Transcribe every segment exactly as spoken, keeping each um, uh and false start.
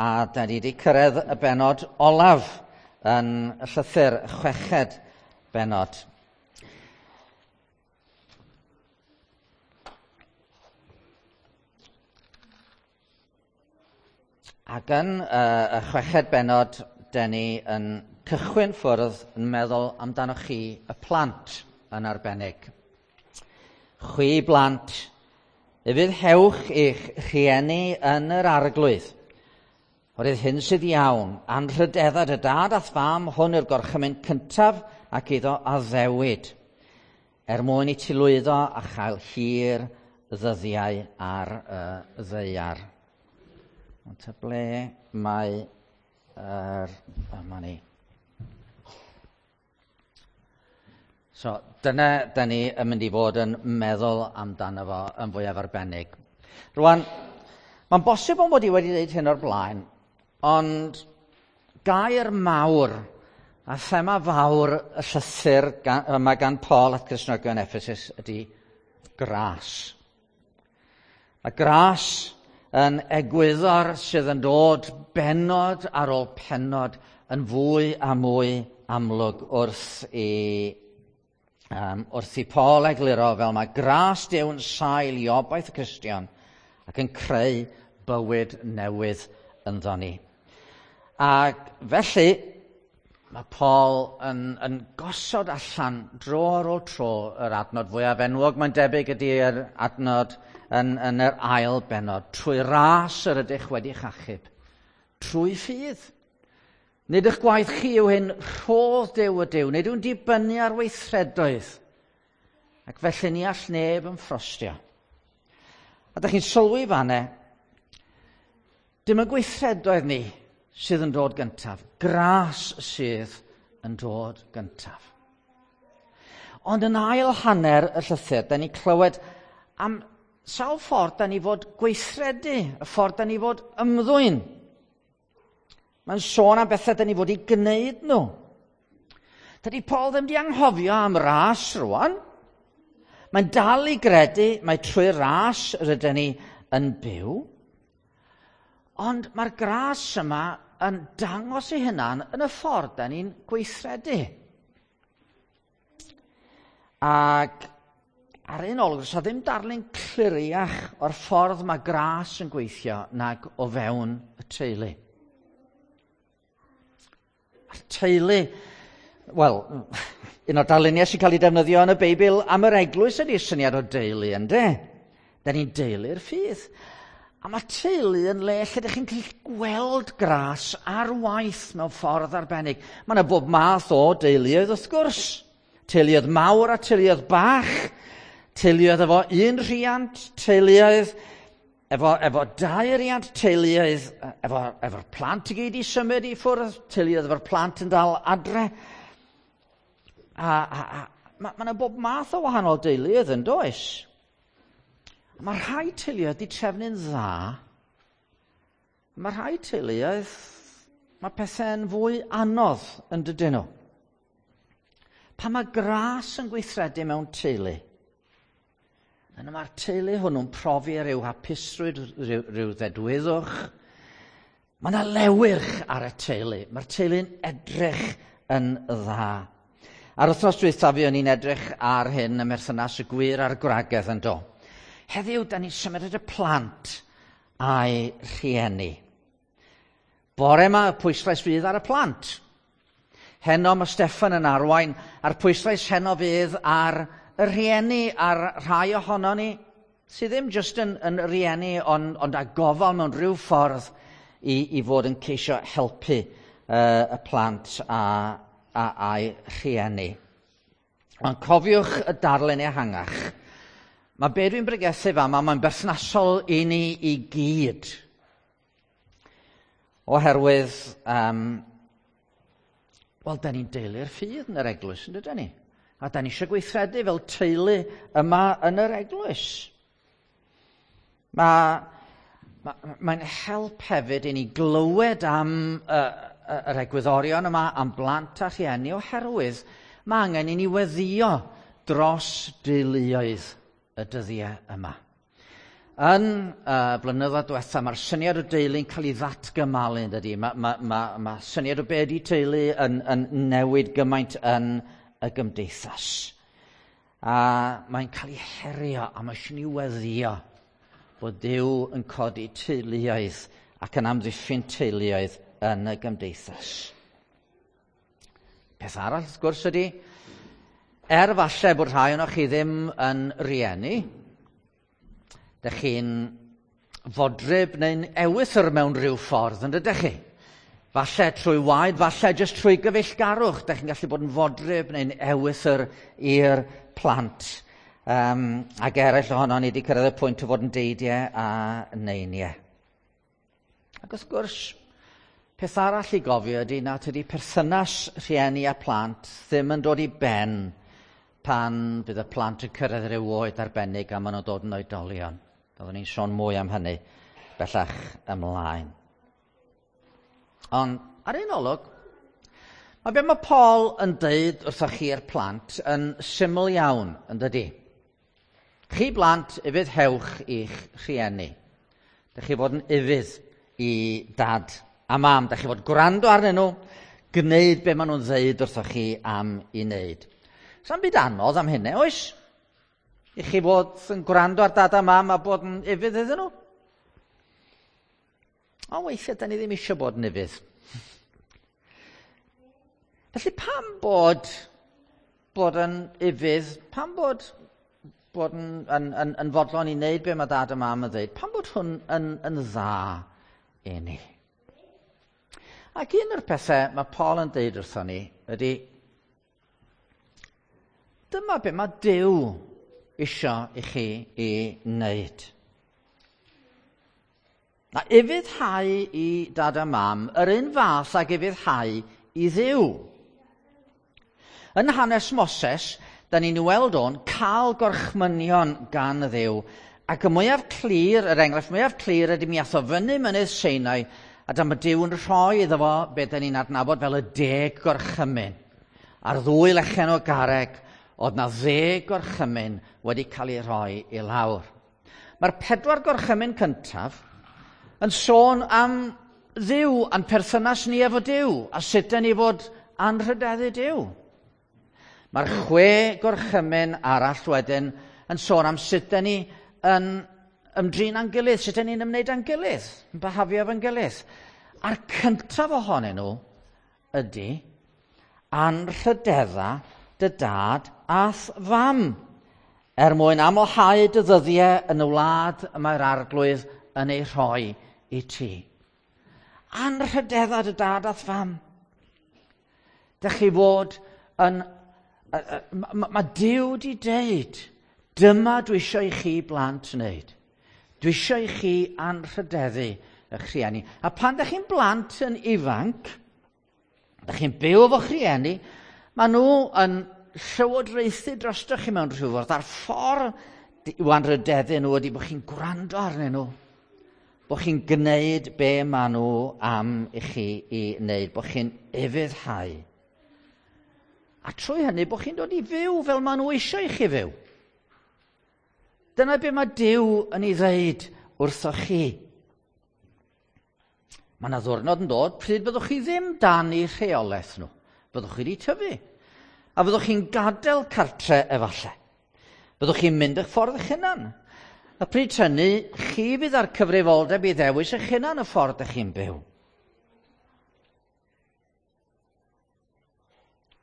A da ni wedi cyrraedd y bennod olaf yn y llythyr, y chweched bennod. Ac yn uh, y chweched bennod, da ni yn cychwyn ffwrdd yn meddwl amdanoch chi y plant yn arbennig. Chwi blant, ufuddhewch eich rhieni yn yr Arglwydd. Oherwydd hyn sydd iawn, anrhydedda dy dad a'th fam, hwn yw'r gorchymyn cyntaf ac iddo addewid, er mwyn i ti lwyddo a chael hir ddyddiau ar y ddaear. Ond ta ble mae yr... Yma ni. So, dyna da ni yn mynd i fod yn meddwl amdano fo yn fwyaf arbennig. Rwan, mae'n bosib bod i wedi dweud hyn o'r blaen, ond gair mawr a thema fawr y llythyr gan, yma gan Paul at Gristnogion Ephesus ydy gras. Mae gras yn egwyddor sydd yn dod bennod ar ôl pennod yn fwy a mwy amlwg wrth i, um, wrth i Paul egluro fel mae gras Duw yn sail i obaith y Cristion ac yn creu bywyd newydd ynddo ni. Ac felly, mae Paul yn, yn gosod allan dro ar ôl tro yr adnod fwyaf enwog, mae'n debyg ydy'r adnod yn, yn yr ail bennod. Trwy ras yr ydych wedi'ch achub, trwy ffydd. Nid eich gwaith chi yw hyn, rhodd Duw ydyw, nid yw'n dibynnu ar weithredoedd. Ac felly ni all neb yn ffrostio. A dych chi'n sylwi fanne, dim y gweithredoedd ni sydd yn dod gyntaf, gras sydd yn dod gyntaf. Ond yn ail hanner y llythyr, da ni clywed am sawl ffordd da ni fod gweithredu, y ffordd da ni fod ymddwyn. Mae'n sôn am bethau da ni fod i gwneud nhw. Dydy Paul ddim di anghofio am ras rwan. Mae'n dal i gredu mai trwy ras rydyn ni yn byw. Ond mae'r gras yma yn dangos ei hunan yn y ffordd da ni'n gweithredu. Ac ar un olwg, does 'na ddim darlun cliriach o'r ffordd mae gras yn gweithio nag o fewn y teulu. A'r teulu, wel, un o'r darluniau sy'n cael ei defnyddio yn y Beibl am yr eglwys ydy'r syniad o deulu, ynde? Da ni'n deulu'r ffydd. A mae teulu yn le lle ydych chi'n gallu gweld gras ar waith mewn ffordd arbennig. Mae yna bob math o deuluoedd wrth gwrs. Teuluoedd mawr a teuluoedd bach. Teuluoedd efo un rhiant, teuluoedd efo, efo dau riant, teuluoedd efo, efo'r plant i gyd i symud i ffwrdd, teuluoedd efo'r plant yn dal adre. A, a, a mae yna bob math o wahanol deuluoedd yn does? Mae rhai teuluoedd wedi trefnu'n dda. Mae rhai teuluoedd, mae pethau'n fwy anodd yn dydyn nhw. Pan mae gras yn gweithredu mewn teulu, yna mae'r teulu hwnnw'n profi rhyw hapusrwydd, rhyw, rhyw ddedwyddwch. Mae yna lewyrch ar y teulu. Mae'r teulu'n edrych yn dda. Ar wythnos dwythaf fuon ni'n edrych ar hyn ym merthynas y gwir a'r gwragedd yn do. Heddiw, da ni'n symud at y plant a'i rhieni. Bore yma, y pwyslais fydd ar y plant. Heno mae Steffan yn arwain, a'r pwyslais heno fydd ar y rhieni, a'r rhai ohono ni sydd ddim jyst yn, yn rieni, ond, ond â gofal mewn rhyw ffordd i, i fod yn ceisio helpu uh, y plant a, a, a'i rhieni. Ond cofiwch y darlun ehangach. Mae be dwi'n bregethu fama, mae'n berthnasol i ni i gyd. Oherwydd, um, wel, da ni'n deulu'r ffydd yn yr eglwys, yn dydyn ni? A da ni eisiau gweithredu fel teulu yma yn yr eglwys. Mae, ma, mae'n help hefyd i ni glywed am uh, yr egwyddorion yma, am blant a rhieni, oherwydd mae angen i ni weddïo dros deuluoedd y dyddiau yma. Yn uh, blynyddoedd diwetha, mae'r syniad o deulu'n cael ei ddatgymalu, yn dydy. Mae ma, ma, ma syniad o be ydi teulu yn, yn newid gymaint yn y gymdeithas. A mae'n cael ei herio, a mae eisiau ni weddio bod Duw yn codi teuluoedd ac yn amddiffyn teuluoedd yn y gymdeithas. Peth arall, wrth gwrs, ydy, er falle bod rhai ohonoch chi ddim yn rieni, dych chi'n fodryb neu'n ewythr mewn rhyw ffordd, yn dydych chi? Falle trwy waed, falle jyst trwy gyfeillgarwch, dych chi'n gallu bod yn fodryb neu'n ewythr i'r plant. Um, ac eraill ohono ni wedi cyrraedd y pwynt o fod yn deidiau a neiniau. Ac wrth gwrs, peth arall i gofio ydy na tydi perthynas rhieni a plant ddim yn dod i ben pan bydd y plant yn cyrraedd rhyw oed arbennig a maen nhw'n dod yn oedolion. Byddwn ni'n sôn mwy am hynny bellach ymlaen. Ond ar un olwg, mae be mae Paul yn deud wrthoch chi'r plant yn syml iawn, yn dydy? Chi blant, ufuddhewch i'ch rhieni. Dych chi fod yn ufudd i dad a mam. Dych chi fod gwrando arnyn nhw, gwneud be maen nhw'n ddeud wrthoch chi am i wneud. Sa'm byd anodd am hynny, oes? I chi fod yn gwrando ar dad a mam a bod yn ufudd iddyn nhw? Ond weithiau, da ni ddim eisiau bod yn ufudd. Felly pam bod bod yn ufudd, pam bod bod yn, yn, yn, yn fodlon i wneud be mae dad a mam yn dweud, pam bod hwn yn, yn dda i ni? Ac un o'r pethau mae Paul yn deud wrthon ni ydy, dyma be mae Duw isio i chi i wneud. Na ufuddhau i dad a mam yr un fath ag ufuddhau i Dduw. Yn hanes Moses, da ni'n weld o'n cael gorchmynion gan Dduw, ac y mwyaf clir, yr enghraifft mwyaf clir ydy mi ath o fyny mynydd Sinai, a dyma Duw yn rhoi iddo fo be da ni'n adnabod fel y deg gorchymyn. Ar ddwy lechen o garreg, oedd na ddeg gorchymyn wedi cael ei rhoi i lawr. Mae'r pedwar gorchymyn cyntaf yn sôn am Dduw a'n perthynas ni efo Duw, a sut da ni fod anrhydeddu Duw. Mae'r chwe gorchymyn arall wedyn yn sôn am sut da ni yn ymdrin â'n gilydd, sut da ni'n ymwneud â'n gilydd, yn byhafio efo'n gilydd. A'r cyntaf ohonyn nhw ydy anrhydedda dy dad a'th fam, er mwyn amlhau dy ddyddiau yn y wlad y mae'r arglwydd yn ei rhoi i ti. Anrhydedda dy dad a'th fam. Dych chi fod yn... Mae ma Duw di deud, dyma dwi eisiau i chi blant wneud. Dwi eisiau i chi anrhydeddu eich rhieni. A pan dych chi'n blant yn ifanc, dych chi'n byw efo'ch rhieni, maen nhw yn llywodraethu drostoch chi mewn rhyw ffordd. A'r ffordd i'w anrhydeddu nhw ydy bod chi'n gwrando arnyn nhw. Bod chi'n gwneud be maen nhw am i chi i wneud. Bod chi'n ufuddhau. A trwy hynny, bod chi'n dod i fyw fel maen nhw eisiau i chi fyw. Dyna be mae Duw yn ei ddeud wrthoch chi. Mae yna ddwrnod yn dod pryd byddwch chi ddim dan eu rheolaeth nhw. Byddwch chi wedi tyfu. A fyddwch chi'n gadael cartre efallai. Byddwch chi'n mynd eich ffordd eich hunan. A pryd hynny, chi fydd â'r cyfrifoldeb i ddewis eich hunan y ffordd ych chi'n byw.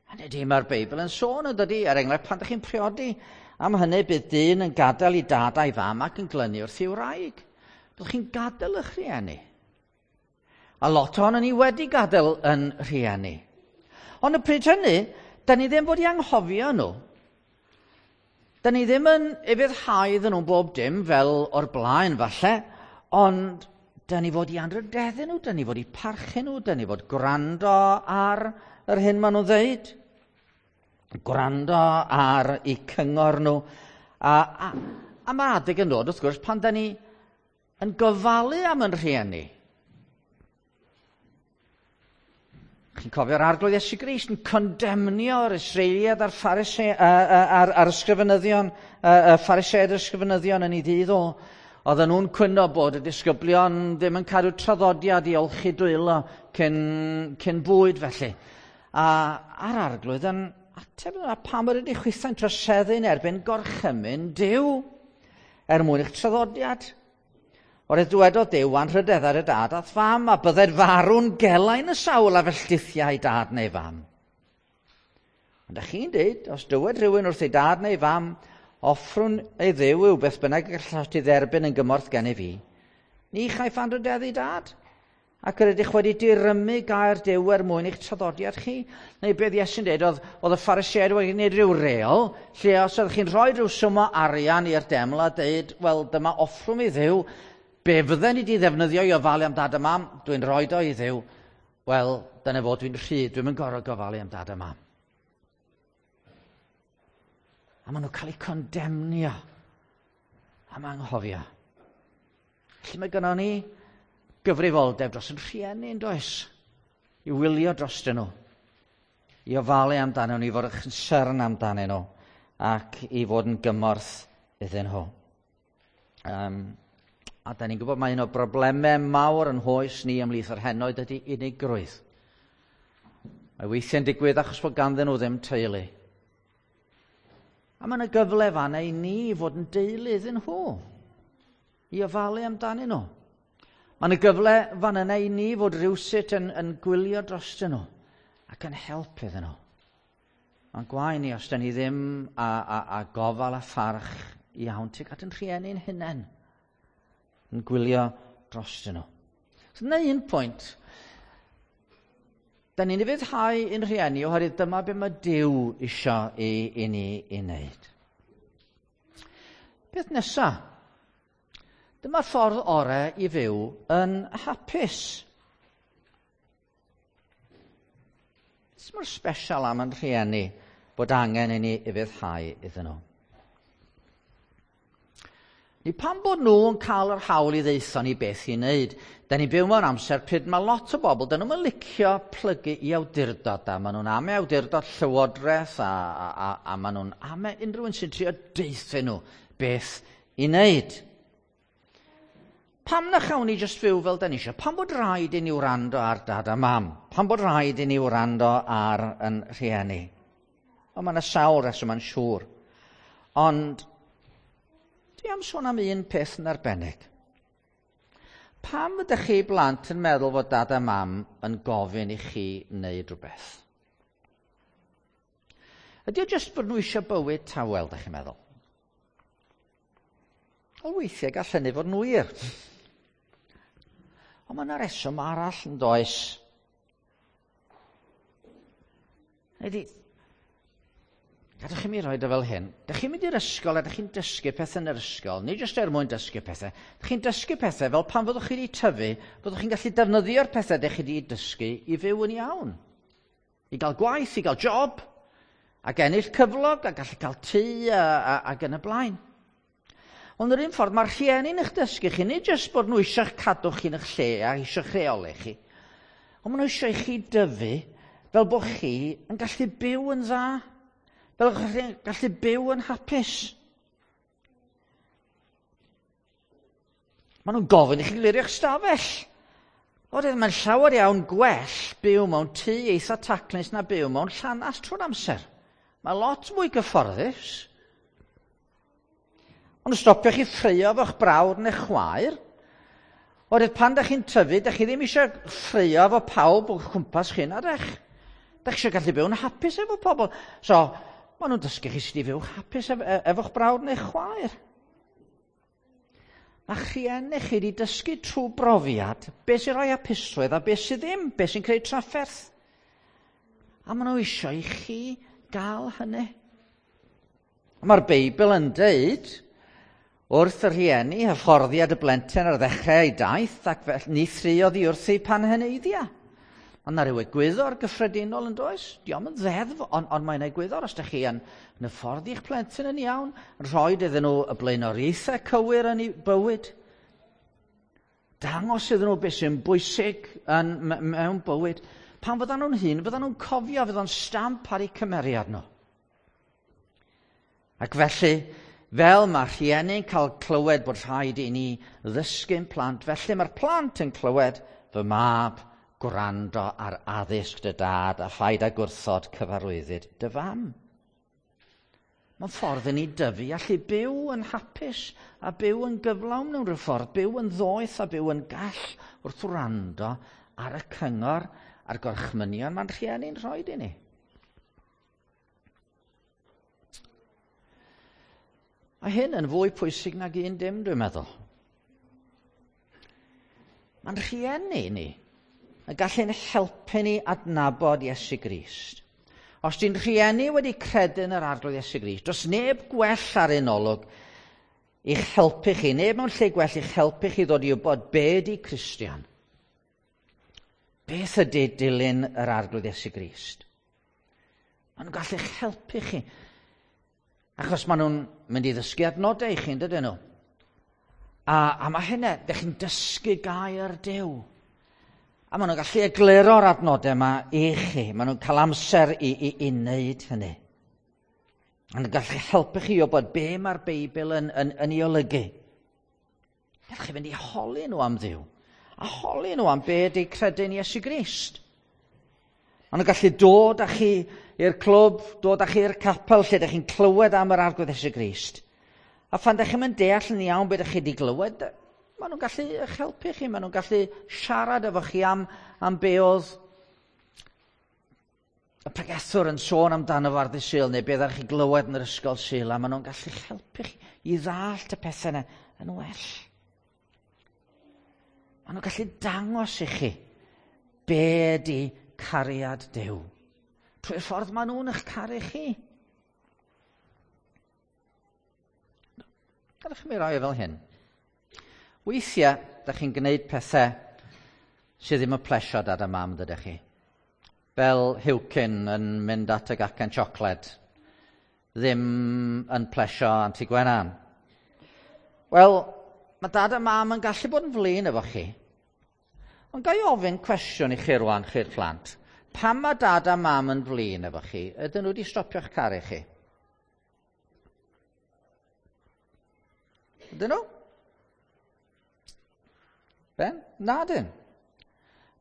Hynny ydy, mae'r Beibl yn sôn yn dydy, er enghraifft pan ydych chi'n priodi, am hynny bydd dyn yn gadael i dad a'i fam ac yn glynu wrth i'w wraig. Byddwch chi'n gadael eich rhieni. A lot ohonon ni wedi gadael yn rhieni. Ond y pryd hynny, da ni ddim fod i anghofio nhw. Da ni ddim yn ufuddhau iddyn nhw bob dim fel o'r blaen falle, ond da ni fod i anrhydeddu nhw, da ni fod i parchu nhw, da ni fod gwrando ar yr hyn maen nhw'n ddeud, gwrando ar eu cyngor nhw. A, a, a mae adeg yn dod, wrth gwrs, pan da ni yn gofalu am yn rhieni. Chi'n cofio'r Arglwydd Iesu Grist yn condemnio'r Israeliad a'r, Pharise, a'r, a'r ysgrifenyddion, y Phariseaid a'r ysgrifenyddion yn ei ddydd o, Oedden nhw'n cwyno bod y disgyblion ddim yn cadw traddodiad i olchi dwylo cyn, cyn bwyd felly. A a'r Arglwydd yn ateb yna, pam yr ydych chwithau'n troseddu'n erbyn gorchymyn Duw er mwyn eich traddodiad? Oherwydd dywedodd Duw anrhydedda dy dad a'th fam, a bydded farw'n gelain y sawl a felldithiau dad neu fam. Ond ydych chi'n dweud, os dywed rhywun wrth ei dad neu fam, offrwn ei Dduw yw beth bynnag gallas ti dderbyn yn gymorth gennyf fi, ni chaiff anrhydeddu dad. Ac yr ydych wedi dirymu gair Duw er mwyn eich traddodiad chi. Neu beth Iesu'n dweud, oedd, oedd y Phariseaid wedi gwneud rhyw reol, lle os ydych chi'n rhoi rhyw swm o arian i'r deml a dweud, wel, dyma offrwm i Dduw, be fydden ni wedi ddefnyddio i ofalu am dad a mam, dwi'n rhoi o i Dduw. Wel, dyna fo, dwi'n rhydd, dwi'n mynd gorfod gofalu am dad a mam. A maen nhw'n cael eu condemnio am anghofio. Felly mae gynnon ni gyfrifoldeb dros yn rhieni, yn does? I wylio drostyn nhw, i ofalu amdanyn nhw, i fod yn concern amdanyn nhw, ac i fod yn gymorth iddyn nhw. Um, a da ni'n gwybod mae un o broblemau mawr yn hoes ni ymhlith yr henoed ydy unigrwydd. Mae weithiau'n digwydd achos bod ganddyn nhw ddim teulu. A mae yna gyfle fanna i ni fod yn deulu iddyn nhw, i ofalu amdanyn nhw. Mae yna gyfle fan yna i ni fod rhywsut yn, yn gwylio drostyn nhw ac yn help iddyn nhw. Mae'n gwae ni os da ni ddim a, a, a gofal a pharch iawn tuag at yn rhieni'n hunain yn gwylio drostyn nhw. So dyna un pwynt. Da ni'n ufuddhau ein rhieni oherwydd dyma be mae Duw isio i, i ni i wneud. Beth nesa? Dyma'r ffordd orau i fyw yn hapus. Beth mor special am yn rhieni bod angen i ni ufuddhau iddyn nhw? Ni pam bod nhw yn cael yr hawl i ddeutho ni beth i wneud? Da ni'n byw mewn amser pryd mae lot o bobl, dyn nhw'n licio plygu i awdurdod, a maen nhw'n ame awdurdod llywodraeth, a, a, a, a maen nhw'n ame unrhyw un sy'n trio deutho nhw beth i wneud. Pam na chawn ni jyst fyw fel da ni eisiau? Pam bod rhaid i ni wrando ar dad a mam? Pam bod rhaid i ni wrando ar yn rhieni? O, mae yna sawl reswm yn siŵr. Ond dwi am sôn am un peth yn arbennig. Pam ydych chi blant yn meddwl fod dad a mam yn gofyn i chi wneud rhywbeth? Ydy o jyst bod nhw eisiau bywyd tawel, ydych chi'n meddwl? Wel, weithiau gall hynny fod yn wir. Ond mae yna reswm arall yn does. Ydy, gadwch chi mi roed o fel hyn. Dych chi'n mynd i'r ysgol a dych chi'n dysgu pethau yn yr ysgol, nid jyst er mwyn dysgu pethau. Dych chi'n dysgu pethau fel pan fyddwch chi wedi tyfu, fyddwch chi'n gallu defnyddio'r pethau dych chi wedi dysgu i fyw yn iawn. I gael gwaith, i gael job, ac ennill cyflog, a gallu cael tŷ, a, a, ac yn y blaen. Ond yr un ffordd, mae'r rhieni'n eich dysgu chi, nid jyst bod nhw eisiau'ch cadw chi'n eich lle a eisiau'ch rheoli chi, ond maen nhw eisiau i chi dyfu fel bod chi yn gallu byw yn dda, fel bod chi'n gallu byw yn hapus. Maen nhw'n gofyn i chi glirio'ch stafell. Oherwydd mae'n llawer iawn gwell byw mewn tŷ eitha taclus na byw mewn llanast trwy'r amser. Mae lot mwy gyfforddus. Ond stopio chi ffraeo efo'ch brawd neu chwaer. Oherwydd pan dach chi'n tyfu, dach chi ddim eisiau ffraeo efo pawb o'ch cwmpas chi, na dach. Dach chi eisiau gallu byw'n hapus efo pobl. So, maen nhw'n dysgu chi sut i fyw hapus ef efo'ch brawd neu chwaer. Mae rhieni chi wedi dysgu trwy brofiad beth sy'n rhoi hapusrwydd a beth sydd ddim, beth sy'n creu trafferth. A maen nhw eisiau i chi gael hynny. Mae'r Beibl yn deud wrth y rhieni, hyfforddiad y blentyn ar ddechrau ei daith, ac felly ni thriodd i wrthi pan heneiddia. Ond na ryw egwyddor gyffredinol yn does? Dio'm yn ddeddf, ond, ond mae'n egwyddor os ydych chi yn, yn hyfforddi'ch plentyn yn iawn, yn rhoi iddyn nhw y blaenoriaethau cywir yn eu bywyd, dangos iddyn nhw beth sy'n bwysig yn, mewn bywyd. Pan fyddan nhw'n hŷn, fyddan nhw'n cofio, fyddan stamp ar eu cymeriad nhw. Ac felly, fel mae rhieni'n cael clywed bod rhaid i ni ddysgu'n plant, felly mae'r plant yn clywed fy mab gwrando ar addysg dy dad a phaid â gwrthod cyfarwyddyd dy fam. Mae'n ffordd i ni dyfu allu byw yn hapus a byw yn gyflawn mewn rhyw ffordd, byw yn ddoeth a byw yn gall wrth wrando ar y cyngor a'r gorchmynion mae'n rhieni'n rhoi i ni. Mae hyn yn fwy pwysig nag un dim, dwi'n meddwl. Mae'n rhieni ni yn gallu'n helpu ni adnabod Iesu Grist. Os di'n rhieni wedi credu yn yr Arglwydd Iesu Grist, does neb gwell ar un olwg i'ch helpu chi, neb mewn lle gwell i'ch helpu chi ddod i wybod be ydi Cristion. Beth ydy dilyn yr Arglwydd Iesu Grist? Maen nhw'n gallu'ch helpu chi. Achos maen nhw'n mynd i ddysgu adnodau i chi, yn dydyn nhw? A, a mae hynna, dych chi'n dysgu gair Duw. A maen nhw'n gallu egluro'r adnodau yma i chi. Maen nhw'n cael amser i, i, i wneud hynny. Maen nhw'n gallu helpu chi o bod be mae'r Beibl yn, yn, yn ei olygu. Gallwch chi fynd i holi nhw am Dduw. A holi nhw am be ydy credu'n Iesu Grist. Maen nhw'n gallu dod â chi i'r clwb, dod â chi i'r capel lle ydych chi'n clywed am yr Arglwydd Iesu Grist. A phan ydych chi'n deall yn iawn beth ydych chi wedi glywed, maen nhw'n gallu eich helpu chi, maen nhw'n gallu siarad efo chi am, am be oedd y pregethwr yn sôn amdano fo ar ddydd Sul, neu be ddech chi glywed yn yr ysgol Sul, a maen nhw'n gallu helpu chi i ddallt y pethau yna yn well. Maen nhw'n gallu dangos i chi be ydy cariad Duw. Trwy'r ffordd maen nhw'n eich caru chi. Gadewch i mi roi fel hyn. Weithiau, da chi'n gwneud pethau sydd ddim yn plesio dad a mam, dydych chi. Fel Hewcyn yn mynd at y gacen siocled, ddim yn plesio Anti Gwenan. Wel, mae dad a mam yn gallu bod yn flin efo chi. Ond ga i ofyn cwestiwn i chi rwan, chi'r plant. Pam mae dad a mam yn flin efo chi, ydyn nhw wedi stopio'ch caru chi? Ydyn nhw? Ben? Na dyn.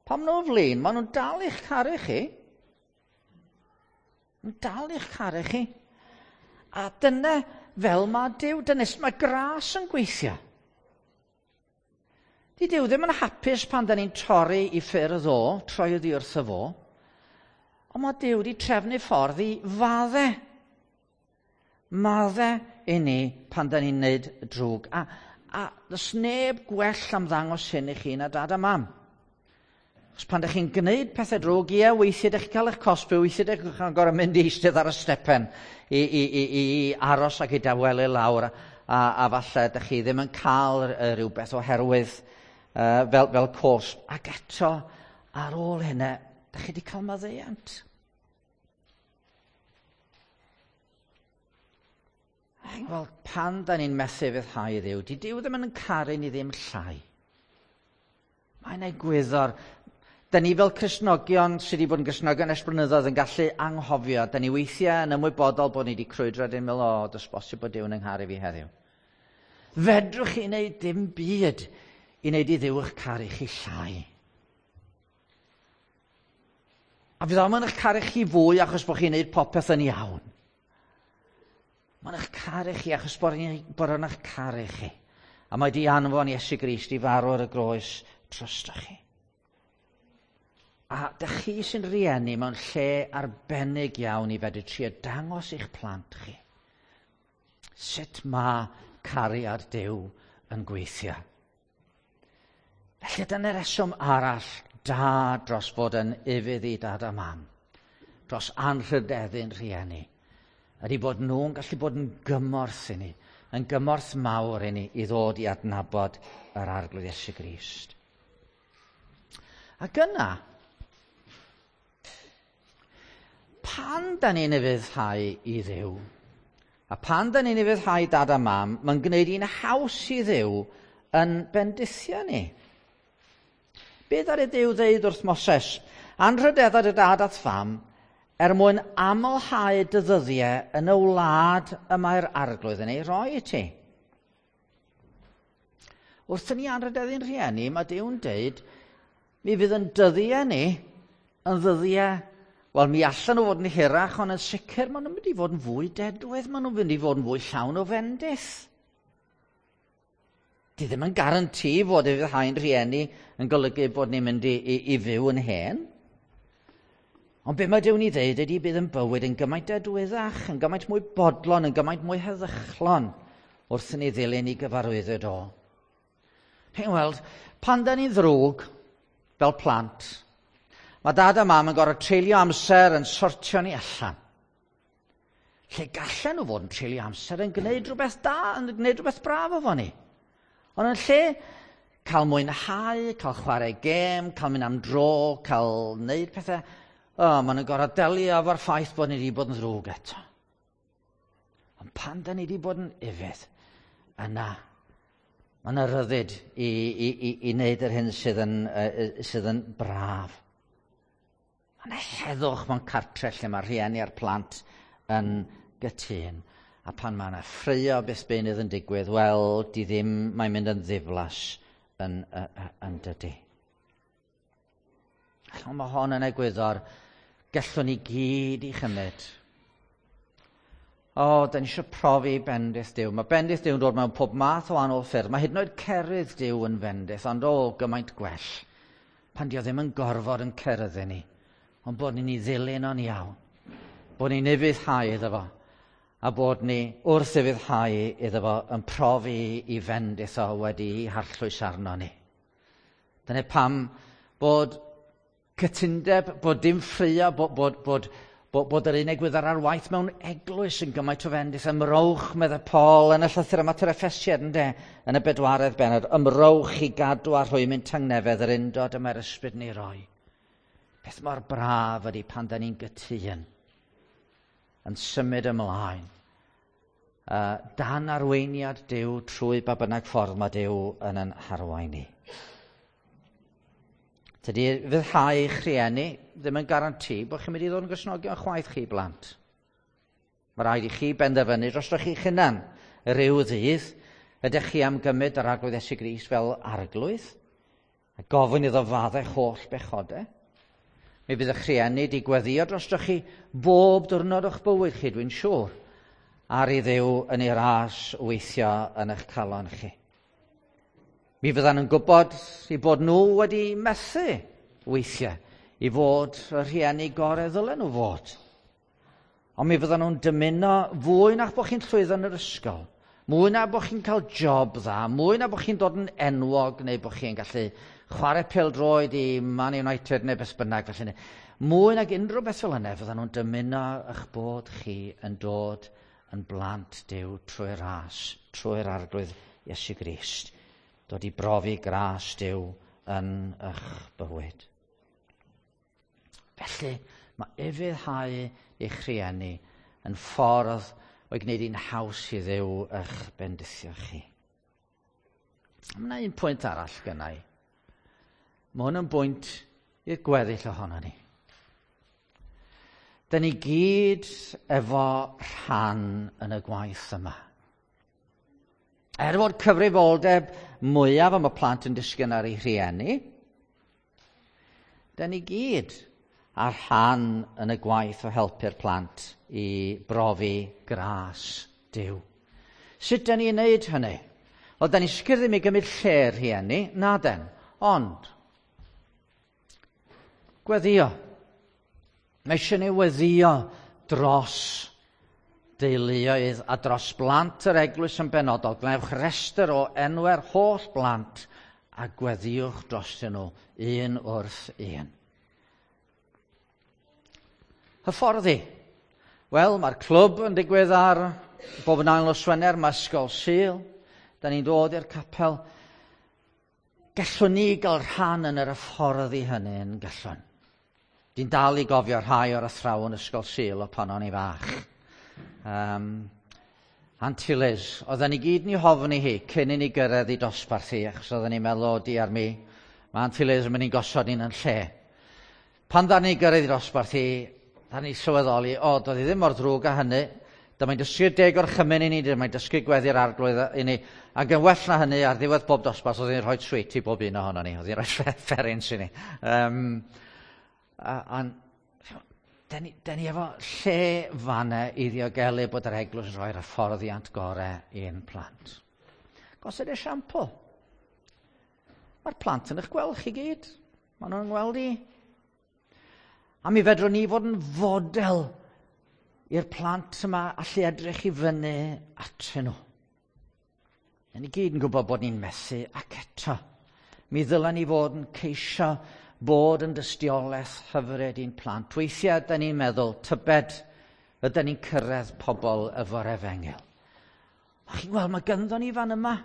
Pam nhw'n flin, maen nhw'n dal i'ch caru chi. Nhw'n dal i'ch caru chi. A dyna fel mae Duw, dyna sut mae gras yn gweithio. Di Duw ddim yn hapus pan da ni'n torri i ffyrdd o, troi oddi wrtho fo, ond mae Duw wedi trefnu ffordd i fadde. Madde i ni pan da ni'n neud drwg. A, a does neb gwell am ddangos hyn i chi na dad a mam. Achos pan ydych chi'n gwneud pethau drwg, ie, weithiau ydych chi'n cael eich cosbi, weithiau ydych chi'n gorfod mynd i eistedd ar y stepen i, i, i, i aros ac i dawelu lawr, a, a falle ydych chi ddim yn cael rhywbeth oherwydd uh, fel, fel cosb. Ac eto, ar ôl hynny, ydych chi wedi cael maddeuant. Wel, pan da ni'n methu fyddhau Dduw, di Duw ddim yn caru ni ddim llai. Mae'n egwyddor. Da ni fel Cristnogion sydd wedi bod yn Gristnogion ers blynyddoedd yn gallu anghofio. Da ni weithiau yn ymwybodol bod ni wedi crwydro a dyn meddwl, o, does bosib bod Duw yn yngharu fi heddiw. Fedrwch chi wneud dim byd i wneud i Dduw eich caru chi llai. A fydd o'm yn eich caru chi fwy achos bod chi'n wneud popeth yn iawn. Mae'n eich caru chi achos bod o'n eich caru chi. A mae di anfon Iesu Grist i farw ar y groes drostoch chi. A dych chi sy'n rieni mewn lle arbennig iawn i fedru trio dangos i'ch plant chi sut mae cariad Duw yn gweithio. Felly dyna'r reswm arall da dros fod yn ufudd i dad a mam, dros anrhydeddu'n rhieni, ydy bod nhw'n gallu bod yn gymorth i ni, yn gymorth mawr i ni i ddod i adnabod yr Arglwydd Iesu Grist. Ac yna, pan da ni'n ufuddhau i Dduw, a pan da ni'n ufuddhau dad a mam, mae'n gwneud hi'n haws i Dduw yn bendithio ni. Be ddaru Duw ddeud wrth Moses? Anrhydedda dy dad a'th fam, er mwyn amlhau dy ddyddiau yn y wlad y mae'r Arglwydd yn ei roi i ti. Wrth i ni anrhydeddu'n rhieni, mae Duw'n deud, mi fydd yn dyddiau ni yn ddyddiau, wel, mi allan nhw fod yn hirach, ond yn sicr maen nhw'n mynd i fod yn fwy dedwydd, maen nhw'n mynd i fod yn fwy llawn o fendith. Di ddim yn garanti fod ufuddhau'n rhieni yn golygu bod ni'n mynd i, i, i fyw yn hen. Ond be mae Duw'n ei ddeud ydy bydd yn bywyd yn gymaint dedwyddach, yn gymaint mwy bodlon, yn gymaint mwy heddychlon wrth i ni ddilyn i gyfarwyddyd o. Chi'n weld, pan da ni'n ddrwg fel plant, mae dad a mam yn gorfod treulio amser yn sortio ni allan. Lle gallen nhw fod yn treulio amser yn gwneud rhywbeth da, yn gwneud rhywbeth braf efo ni. Ond yn lle cael mwynhau, cael chwarae gêm, cael mynd am dro, cael wneud pethau, oh, maen nhw'n gorfod delio efo'r ffaith bod ni wedi bod yn ddrwg eto. Ond pan da ni wedi bod yn ufudd, yna, mae yna ryddid i, i, i, i wneud yr hyn sydd yn, uh, sydd yn braf. Mae yna heddwch mewn cartre lle mae rhieni a'r plant yn gytûn. A pan mae yna ffraeo beth beunydd yn digwydd, wel, di ddim, mae'n mynd yn ddiflas yn, yn, yn dydy. Ond mae hon yn egwyddor gallwn ni gyd i chymryd. O, da ni eisiau profi bendith Duw. Mae bendith Duw yn dod mewn pob math o wahanol ffyrdd. Mae hyd yn oed cerydd Duw yn fendith, ond o, gymaint gwell. Pan di o ddim yn gorfod yn ceryddu ni, ond bod ni'n ei ddilyn o'n iawn. Bod ni'n ufuddhau iddo fo, a bod ni wrth ufuddhau iddo fo yn profi i fendith o wedi harllwys arno ni. Dyna pam bod cytundeb, bod dim ffraeo, bod, bod, bod, bod, bod yr un egwyddor ar waith mewn eglwys yn gymaint o fendith. Ymrowch, meddai Paul, yn y llythyr yma at yr Effesiaid, ynde, yn y bedwaredd bennod. Ymrowch i gadw a rhwymyn tangnefedd yr undod y mae'r ysbryd ni roi. Beth mor braf ydy pan da ni'n gytûn yn symud ymlaen. Uh, dan arweiniad Duw trwy ba bynnag ffordd mae Duw yn yn harwain ni. Tydi ufuddhau eich rhieni ddim yn garanti bod chi'n mynd i ddod yn Gristnogion chwaith chi blant. Mae rhaid i chi benderfynu drostoch chi'ch hunan rhyw ddydd. Ydych chi am gymryd yr Arglwydd Iesu Grist fel arglwydd? A gofyn iddo faddau holl bechodau? Mi fydd eich rhieni wedi gweddio drostoch chi bob diwrnod o'ch bywyd chi, dwi'n siŵr, ar i Dduw yn ei ras weithio yn eich calon chi. Mi fyddan nhw'n gwybod i bod nhw wedi methu weithiau i fod y rhieni gorau ddylen nhw fod. Ond mi fyddan nhw'n dymuno fwy na bod chi'n llwyddo yn yr ysgol, mwy na bod chi'n cael job dda, mwy na bod chi'n dod yn enwog neu bod chi'n gallu chwarae pêl-droed i Man United neu beth bynnag felly. Mwy nag unrhyw beth fel yna, fyddan nhw'n dymuno eich bod chi yn dod yn blant Duw trwy'r ras, trwy'r Arglwydd Iesu Grist. Dod i brofi gras Duw yn eich bywyd. Felly, mae ufuddhau eich rhieni yn ffordd o'i gwneud hi'n haws i Dduw eich bendithio chi. Mae yna un pwynt arall gynna i. Mae hwn yn bwynt i'r gweddill ohono ni. Da ni gyd efo rhan yn y gwaith yma. Er fod cyfrifoldeb mwyaf am y plant yn disgyn ar eu rhieni, da ni gyd ar rhan yn y gwaith o helpu'r plant i brofi gras Duw. Sut da ni'n neud hynny? Wel, da ni sicr ddim i gymryd lle'r rhieni, na den, ond gweddio. Mae eisiau ni weddio dros deuluoedd a dros blant yr eglwys yn benodol. Gwnewch restr o enwau'r holl blant a gweddiwch drostyn nhw un wrth un. Hyfforddi. Wel, mae'r clwb yn digwydd ar bob yn ail nos Wener, mae ysgol Sul. Da ni'n dod i'r capel. Gallwn ni gael rhan yn yr hyfforddi hynny yn gallwn. Dwi'n dal i gofio rhai o'r athrawon ysgol Sul o pan o'n i fach. Um, Auntie Liz, oedden ni gyd yn ei hofni hi cyn i ni gyrraedd i dosbarth hi, achos oedden ni'n meddwl, o diar mi, mae Auntie Liz yn mynd i'n gosod ni'n yn lle. Pan dda ni gyrraedd i dosbarth hi, Da ni sylweddoli, o, doedd hi ddim mor ddrwg â hynny. Dyma'n dysgu'r deg orchymyn i ni, dyma'n dysgu gweddi'r arglwydd i ni. Ac yn well na hynny, ar ddiwedd bob dosbarth, oedd hi'n rhoi treat i bob un ohono ni. Oedd hi'n rhoi fferins i ni. Um, a, a, da ni, da ni efo lle fanna i ddiogelu bod yr eglwys yn rhoi'r hyfforddiant gorau i'n plant. Gosod esiampl. Mae'r plant yn eich gweld chi gyd. Maen nhw'n gweld i. A mi fedrwn ni fod yn fodel i'r plant yma allu edrych i fyny atyn nhw. Da ni gyd yn gwybod bod ni'n methu ac eto. Mi ddylen ni fod yn ceisio bod yn dystiolaeth hyfryd i'n plant. Weithiau da ni'n meddwl, tybed ydyn ni'n cyrraedd pobl efo'r efengyl. A chi'n gweld, mae gynddo ni fan yma.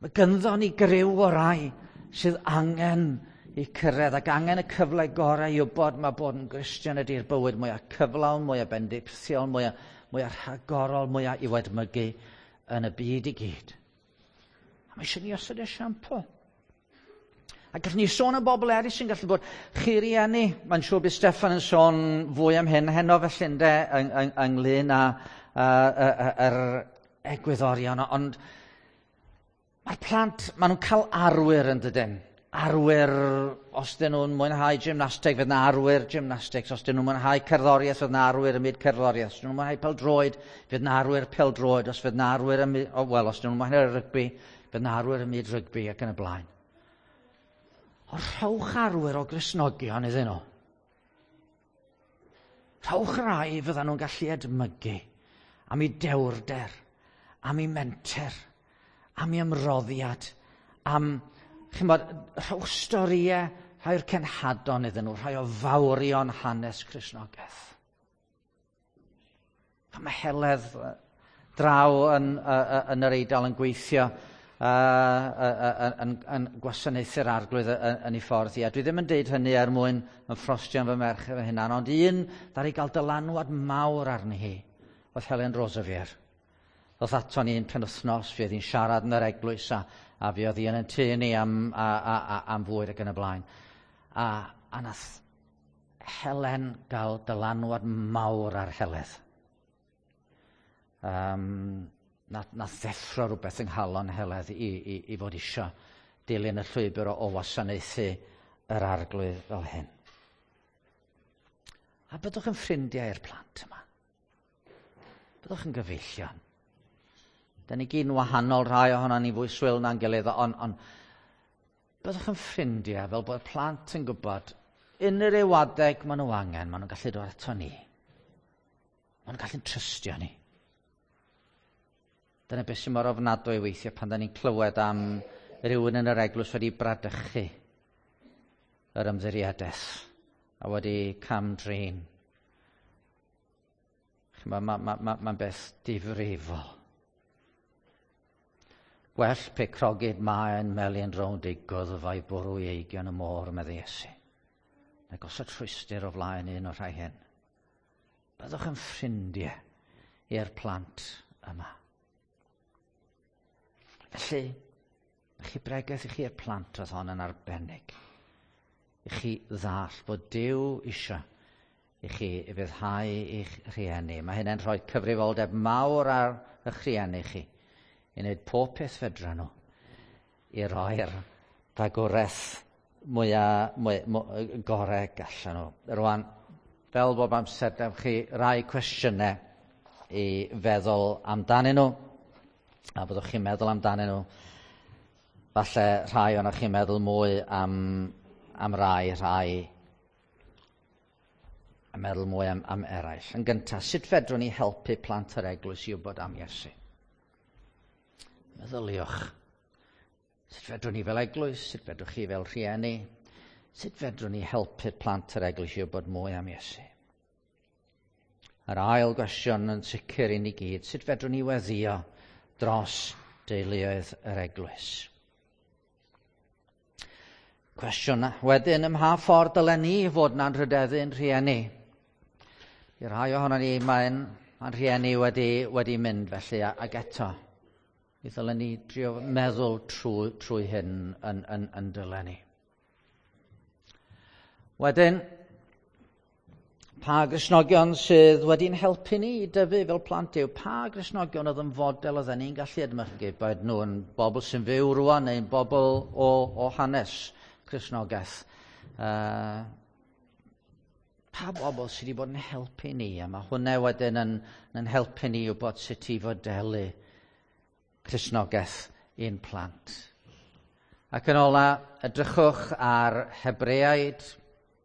Mae gynddo ni griw o rai sydd angen i cyrraedd ac angen y cyfle gorau i wybod mae bod yn Gristion ydy'r bywyd mwyaf cyflawn, mwyaf bendithiol, mwyaf, mwyaf rhagorol, mwyaf i'w edmygu yn y byd i gyd. A mae eisiau ni osod esiampl. A gallwn ni sôn am bobl eraill sy'n gallu bod chi rieni. Mae'n siŵr bydd Steffan yn sôn fwy am hyn heno felly ynde, yng, yng, ynglyn â yr egwyddorion. Ond mae'r plant, maen nhw'n cael arwyr yn dydyn. Arwyr, os dyn nhw'n mwynhau gymnasteg, fydd yna arwyr gymnastics. Os dyn nhw'n mwynhau cerddoriaeth, fydd yna arwyr ym myd cerddoriaeth. Os dyn nhw'n mwynhau pêl-droed, fydd yna arwyr pêl-droed. Os fydd yna arwyr ym myd, oh, wel, os dyn nhw'n mwynhau rygbi, fydd yna arwyr ym myd rygbi ac yn y blaen. Ond rhowch arwyr o Gristnogion iddyn nhw. Rhowch rai fyddan nhw'n gallu edmygu am eu dewrder, am eu menter, am eu ymroddiad, am, chimod, rhowch storïau, rhai o'r cenhadon iddyn nhw, rhai o fawrion hanes Cristnogaeth. Mae Heledd draw yn, yn yr Eidal yn gweithio uh, yn, yn gwasanaethu'r arglwydd yn ei ffordd hi. A dwi ddim yn deud hynny er mwyn yn ffrostio yn fy merch fy hunan, ond un ddaru gael dylanwad mawr arni hi oedd Helen Roseveare. Ddoth ato ni un penwythnos, fi oedd hi'n siarad yn yr eglwys a, a fi oedd hi yn tŷ ni am, a, a, a, am fwyd ac yn y blaen. A, a nath Helen gael dylanwad mawr ar Heledd. Um, nath, nath ddeffro rhywbeth yng nghalon Heledd i, i, i fod isio dilyn y llwybr o, o wasanaethu yr arglwydd fel hyn. A byddwch yn ffrindiau i'r plant yma. Byddwch yn gyfeillion. Da ni gyd yn wahanol, rhai ohono ni fwy swil na'n gilydd, ond on, byddwch yn ffrindiau fel bod plant yn gwybod unrhyw adeg maen nhw angen, maen nhw'n gallu dod ato ni. Maen nhw'n gallu trystio ni. Dyna beth sy'n mor ofnadwy weithiau pan da ni'n clywed am rhywun yn yr eglwys wedi bradychu yr ymddiriedaeth a wedi cam-drin. Mae'n ma, ma, ma, ma beth difrifol. Gwell pe crogid maen melyn rownd ei gwddf a'i bwrw i eigion y môr, medde Iesu. Na gosod rhwystr o flaen un o'r rhai hyn. Byddwch yn ffrindiau i'r plant yma. Felly, chi bregeth i chi i'r plant oedd hon yn arbennig. I chi ddall bod Duw isio i chi ufuddhau i'ch rhieni. Mae hynny'n rhoi cyfrifoldeb mawr ar eich rhieni chi i wneud pob peth fedra nhw i roi'r fagwraeth mwyaf mwy, mwy, gorau gallan nhw. Rwan, fel bob amser, dewch chi rai cwestiynau i feddwl amdanyn nhw. A byddwch chi'n meddwl amdanyn nhw. Falle rhai ohonoch chi'n meddwl mwy am, am rai, rhai a meddwl mwy am, am eraill. Yn gyntaf, sut fedrwn ni helpu plant yr eglwys i wybod am Iesu? Meddyliwch. Sut fedrwn ni fel eglwys? Sut fedrwch chi fel rhieni? Sut fedrwn ni helpu plant yr eglwys i wybod mwy am Iesu? Yr ail gwestiwn yn sicr i ni gyd, sut fedrwn ni weddio dros deuluoedd yr eglwys? Cwestiwn wedyn, ym mha ffordd dylen ni fod yn anrhydeddu'n rhieni? I rai ohono ni, mae'n mae rhieni wedi, wedi mynd felly, ac eto, mi ddylen ni drio meddwl trwy, trwy hyn yn, yn, yn dylen ni. Wedyn, Pa Gristnogion sydd wedi'n helpu ni i dyfu fel plant yw? Pa Gristnogion oedd yn fodel oedden ni'n gallu edmygu? Boed nhw'n bobl sy'n fyw rwan neu'n bobl o, o hanes Cristnogaeth. Uh, pa bobl sydd wedi bod yn helpu ni? A mae hwnna wedyn yn, yn helpu ni wybod sut i fodelu Cristnogaeth i'n plant. Ac yn ola, edrychwch ar Hebreaid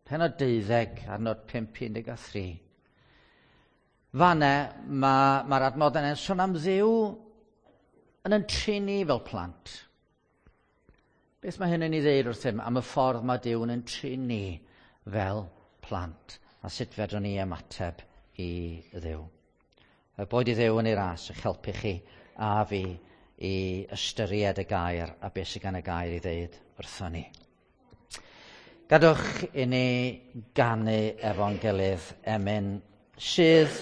pennod deuddeg, adnod pump un deg a thri. Fanne, mae'r ma adnodau yn sôn am Dduw yn yn trin ni fel plant. Beth mae hyn yn ei ddeud wrthym am y ffordd mae Duw yn yn trin ni fel plant a sut fedrwn ni ymateb i Dduw. Boed i Dduw yn ei ras eich helpu chi a fi i ystyried y gair a beth sydd gan y gair i ddeud wrthon ni. Gadwch i ni ganu efo'n gilydd emyn sydd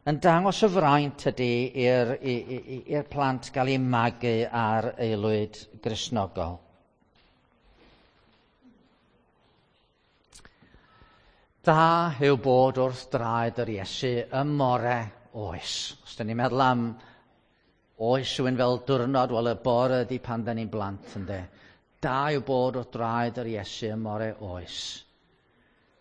yn dangos y fraint ydy i'r, i'r plant gael eu magu ar aelwyd Gristnogol. Da yw bod wrth draed yr Iesu ym more oes. Os dyn ni'n meddwl am oes rhywun fel diwrnod, wel y bore ydy pan dyn ni'n blant, ynde. Da yw bod wrth draed yr Iesu ym more oes.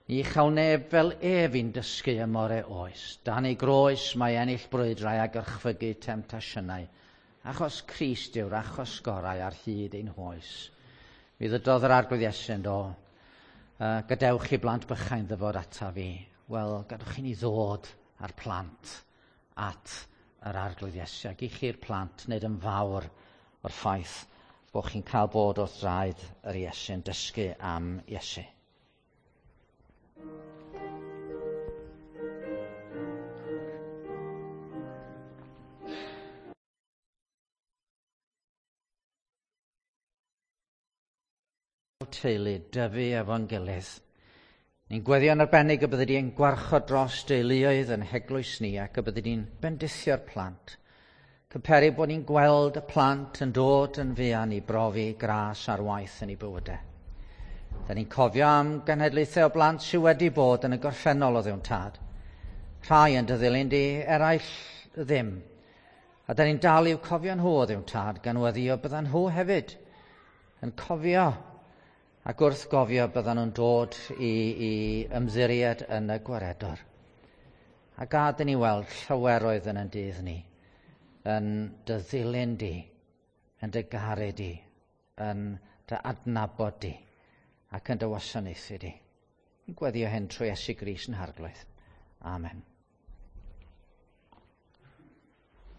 Ni chael neb fel ef i'n dysgu ym more oes. Dan ei groes mae ennill brwydrau a gorchfygu temtasiynau. Achos Crist yw'r achos gorau ar hyd ein hoes. Mi ddydodd yr Arglwydd Iesu yn do, uh, gadewch i blant bychain ddyfod ata fi. Wel, gadewch i ni ddod â'r plant at yr Arglwydd Iesu. Ac i chi'r plant wneud yn fawr o'r ffaith bod chi'n cael bod wrth draed yr Iesu yn dysgu am Iesu. Teulu, dyfu efo'n gilydd. Ni'n gweddio'n arbennig y byddi di'n gwarchod dros deuluoedd yn heglwys ni ac y byddi di'n bendithio'r plant. Cyperu bod ni'n gweld y plant yn dod yn fuan i brofi gras ar waith yn eu bywydau. Da ni'n cofio am genhedlaethau o blant sydd wedi bod yn y gorffennol o Dduw'n Tad. Rhai yn dy ddilyn di, eraill ddim. A da ni'n dal i'w cofio nhw o Dduw'n Tad, gan weddio byddan nhw hefyd yn cofio. Ac wrth gofio byddan nhw'n dod i, i ymddiried yn y Gwaredwr. A gad i ni weld llawer oedd yn ein dydd ni, yn dy ddilyn di, yn dy garu di, yn dy adnabod di, ac yn dy wasanaethu di. Yn gweddio hyn trwy Iesu Grist yn Harglwydd. Amen.